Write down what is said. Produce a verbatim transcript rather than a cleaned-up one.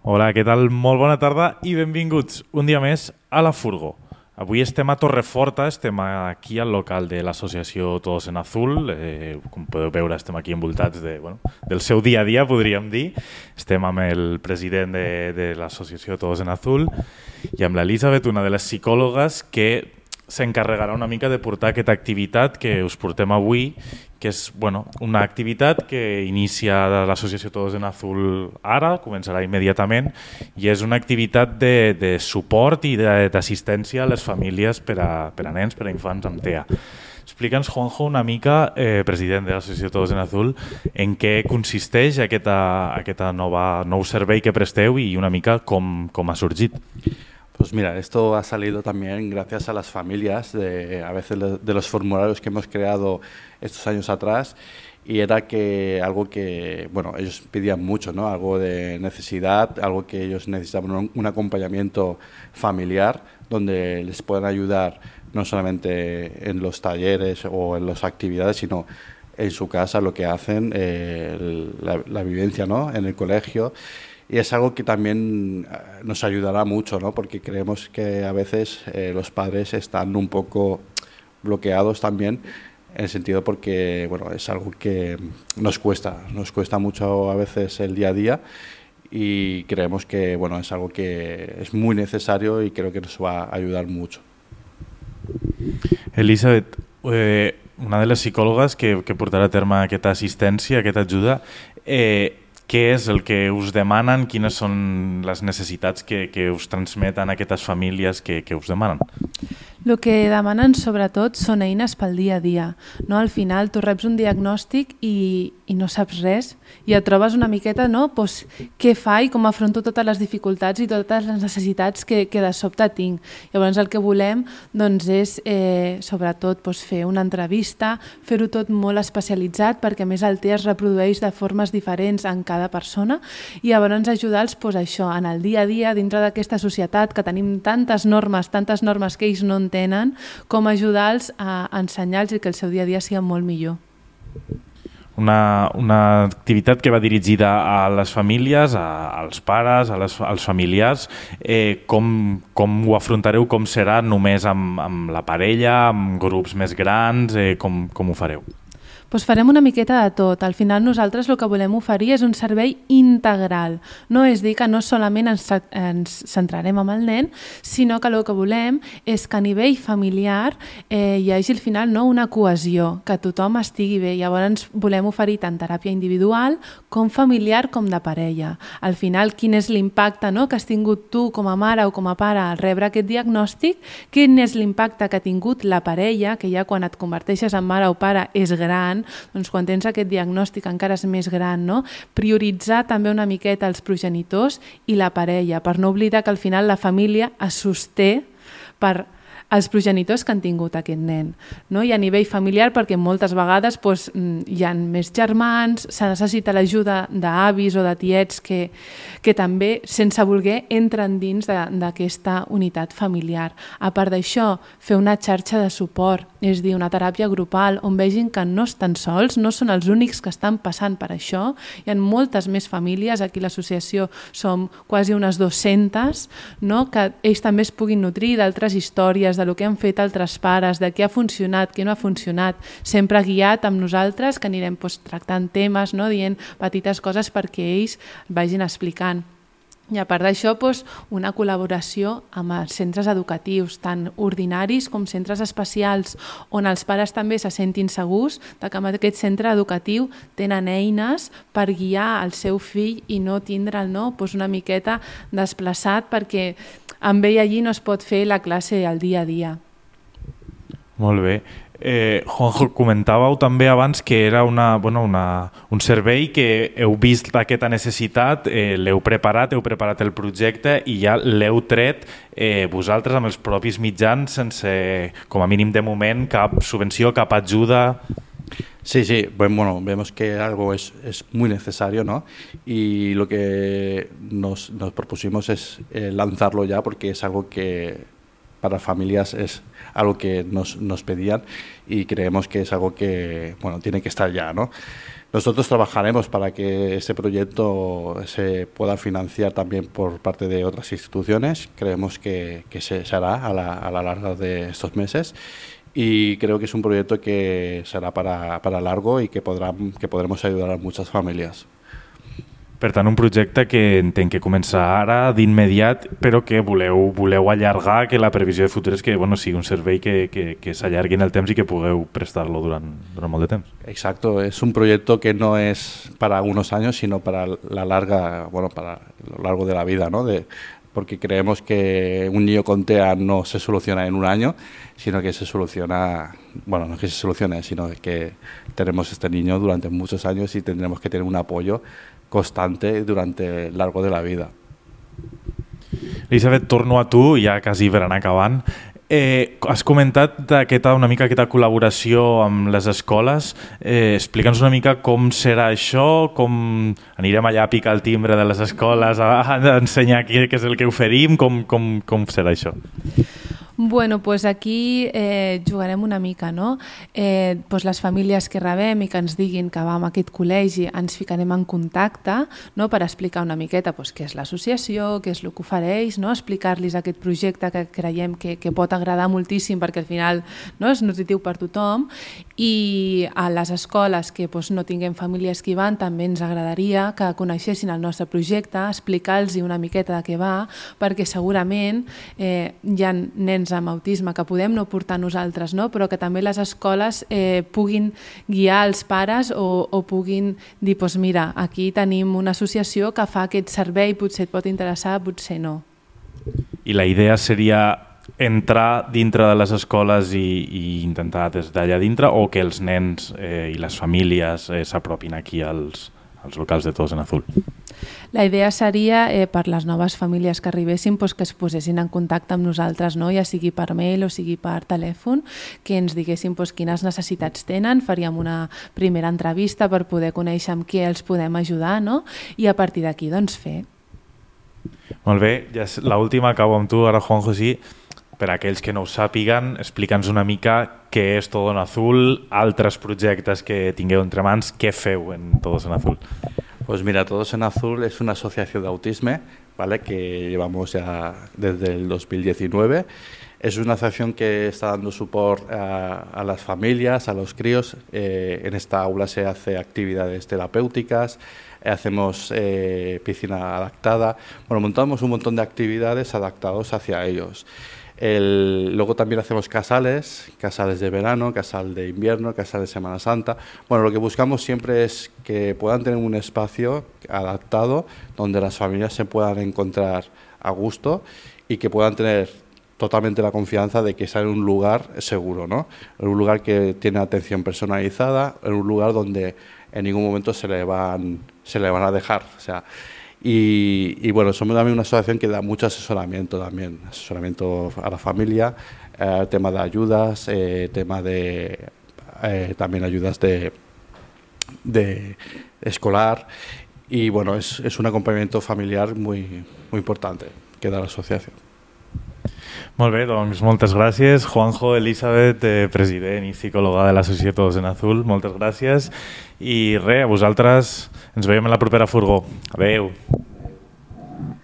Hola, què tal? Molt bona tarda i benvinguts un dia més a La Furgo. Avui estem a Torreforta, estem aquí al local de l'associació Todos en Azul. Eh, com podeu veure, estem aquí envoltats de, bueno, del seu dia a dia, podríem dir. Estem amb el president de, de l'associació Todos en Azul i amb l'Elisabet, una de les psicòlogues que s'encarregarà una mica de portar aquesta activitat que us portem avui, que és bueno, una activitat que inicia l'associació Todos en Azul ara, començarà immediatament, i és una activitat de, de suport i d'assistència a les famílies per a, per a nens, per a infants amb T E A. Explica'ns, Juanjo, una mica, eh, president de l'associació Todos en Azul, en què consisteix aquesta, aquesta nova, nou servei que presteu i una mica com, com ha sorgit. Pues mira, esto ha salido también gracias a las familias, de, a veces de los formularios que hemos creado estos años atrás, y era que algo que, bueno, ellos pedían mucho, ¿no? Algo de necesidad, algo que ellos necesitaban, un, un acompañamiento familiar donde les puedan ayudar no solamente en los talleres o en las actividades, sino en su casa, lo que hacen, eh, el, la, la vivencia, ¿no? En el colegio. Y es algo que también nos ayudará mucho, ¿no? Porque creemos que a veces eh, los padres están un poco bloqueados también, en el sentido porque bueno, es algo que nos cuesta, nos cuesta mucho a veces el día a día, y creemos que bueno, es algo que es muy necesario y creo que nos va a ayudar mucho. Elisabet, eh, una de les psicòlogues que, que portarà a terme aquesta assistència, aquesta ajuda, eh, què és el que us demanen? Quines són les necessitats que, que us transmeten aquestes famílies que, que us demanen? El que demanen sobretot són eines pel dia a dia. No? Al final tu reps un diagnòstic i, i no saps res i et trobes una miqueta no? pues, què fa i com afronto totes les dificultats i totes les necessitats que, que de sobte tinc. Llavors el que volem doncs, és eh, sobretot pues, fer una entrevista, fer-ho tot molt especialitzat perquè a més el T E A es reprodueix de formes diferents en cada persona i llavors ajudar-los pues, això, en el dia a dia dintre d'aquesta societat que tenim tantes normes, tantes normes que ells no en tenen, com ajudar-los a ensenyar-los i que el seu dia a dia sigui molt millor. Una, una activitat que va dirigida a les famílies, a, als pares, a les, als familiars. Eh, com, com ho afrontareu? Com serà? Només amb, amb la parella, amb grups més grans? Eh, com, com ho fareu? Pues farem una miqueta de tot. Al final nosaltres el que volem oferir és un servei integral. No és dir que no solament ens, ens centrarem en el nen, sinó que el que volem és que a nivell familiar eh, hi hagi al final no, una cohesió, que tothom estigui bé. Llavors volem oferir tant teràpia individual com familiar com de parella. Al final, quin és l'impacte no, que has tingut tu com a mare o com a pare al rebre aquest diagnòstic, quin és l'impacte que ha tingut la parella, que ja quan et converteixes en mare o pare és gran, doncs quan tens aquest diagnòstic encara és més gran, no? Prioritzar també una miqueta els progenitors i la parella, per no oblidar que al final la família es sosté per els progenitors que han tingut aquest nen. No? I a nivell familiar, perquè moltes vegades doncs, hi ha més germans, se necessita l'ajuda d'avis o de tiets que, que també, sense voler, entren dins d'aquesta unitat familiar. A part d'això, fer una xarxa de suport, és a dir, una teràpia grupal, on vegin que no estan sols, no són els únics que estan passant per això. Hi ha moltes més famílies, aquí a l'associació som quasi unes dues-centes, no? Que ells també es puguin nutrir d'altres històries, de lo que han fet altres pares, de què ha funcionat, què no ha funcionat, sempre guiat amb nosaltres, que anirem doncs, tractant temes, no? Dient petites coses perquè ells vagin explicant. I a part d'això, doncs, una col·laboració amb els centres educatius, tant ordinaris com centres especials, on els pares també se sentin segurs de que en aquest centre educatiu tenen eines per guiar el seu fill i no tindre'l no? doncs una miqueta desplaçat perquè amb ell allí no es pot fer la classe al dia a dia. Molt bé. Eh, Juanjo, comentàveu també abans que era una, bueno, una, un servei que heu vist aquesta necessitat, eh, l'heu preparat, heu preparat el projecte i ja l'heu tret eh, vosaltres amb els propis mitjans sense, com a mínim de moment, cap subvenció, cap ajuda. Sí, sí, bueno, vemos que algo es, es muy necesario, ¿no? Y lo que nos, nos propusimos es eh, lanzarlo ya porque es algo que para familias es algo que nos, nos pedían y creemos que es algo que, bueno, tiene que estar ya, ¿no? Nosotros trabajaremos para que este proyecto se pueda financiar también por parte de otras instituciones. Creemos que, que se, se hará a la, a la larga de estos meses y creo que es un proyecto que será para, para largo y que, podrà, que podremos ayudar a muchas familias. Per tant, un projecte que entenc que comença ara, d'immediat, però que voleu, voleu allargar, que la previsió de futur és que bueno, sigui un servei que, que, que s'allargui en el temps i que pugueu prestar-lo durant, durant molt de temps. Exacto, es un proyecto que no es para unos años, sino para la larga, bueno, para lo largo de la vida, ¿no? De, porque creemos que un niño con T E A no se soluciona en un año, sino que se soluciona, bueno, no es que se solucione, sino que tenemos este niño durante muchos años y tendremos que tener un apoyo constante durante el largo de la vida. Elisabet, torno a tu, ja quasi per anar acabant. Eh, has comentat aquesta, una mica aquesta col·laboració amb les escoles. Eh, Explica'ns una mica com serà això, com anirem allà a picar el timbre de les escoles, a, a ensenyar què, què és el que oferim, com, com, com serà això? Bueno, pues aquí eh, jugarem una mica, no? Eh, pues les famílies que rebem i que ens diguin que vam a aquest col·legi ens ficarem en contacte, no? Per explicar una miqueta pues, què és l'associació, què és el que ofereix, no? Explicar-los aquest projecte que creiem que, que pot agradar moltíssim perquè al final no? És nutritiu per tothom i a les escoles que pues, no tinguem famílies que hi van també ens agradaria que coneixessin el nostre projecte, explicar-los una miqueta de què va perquè segurament eh, hi ha nens amb autisme que podem no portar nosaltres, no? Però que també les escoles eh, puguin guiar els pares o, o puguin dir, doncs mira, aquí tenim una associació que fa aquest servei, potser et pot interessar, potser no. I la idea seria entrar dintre de les escoles i, i intentar des d'allà dintre o que els nens eh, i les famílies eh, s'apropin aquí als, als locals de Todos en Azul? La idea seria, eh, per les noves famílies que arribessin, pues, que es posessin en contacte amb nosaltres, no? Ja sigui per mail o sigui per telèfon, que ens diguessin pues, quines necessitats tenen, faríem una primera entrevista per poder conèixer amb què els podem ajudar, no? I a partir d'aquí doncs fer. Molt bé, ja l'última acabo amb tu, ara Juanjo, sí. Per a aquells que no ho sàpiguen, explica'ns una mica què és Todo en Azul, altres projectes que tingueu entre mans, què feu en Todos en Azul? Pues mira, Todos en Azul es una asociación de autismo, ¿vale? Que llevamos ya desde el dos mil diecinueve. Es una asociación que está dando soporte a, a las familias, a los críos. Eh, en esta aula se hace actividades terapéuticas, eh, hacemos eh, piscina adaptada. Bueno, montamos un montón de actividades adaptadas hacia ellos. El, luego también hacemos casales, casales de verano, casal de invierno, casal de Semana Santa. Bueno, lo que buscamos siempre es que puedan tener un espacio adaptado donde las familias se puedan encontrar a gusto y que puedan tener totalmente la confianza de que están en un lugar seguro, ¿no? En un lugar que tiene atención personalizada, en un lugar donde en ningún momento se le van, se le van a dejar. O sea, Y, y bueno, somos también una asociación que da mucho asesoramiento también, asesoramiento a la familia, eh, tema de ayudas, eh, tema de eh, también ayudas de, de escolar y bueno, es, es un acompañamiento familiar muy, muy importante que da la asociación. Molt bé, doncs moltes gràcies. Juanjo, Elisabet, eh, president i psicòloga de l'associació Todos en Azul, moltes gràcies. I res, a vosaltres ens veiem en la propera furgó. Adéu.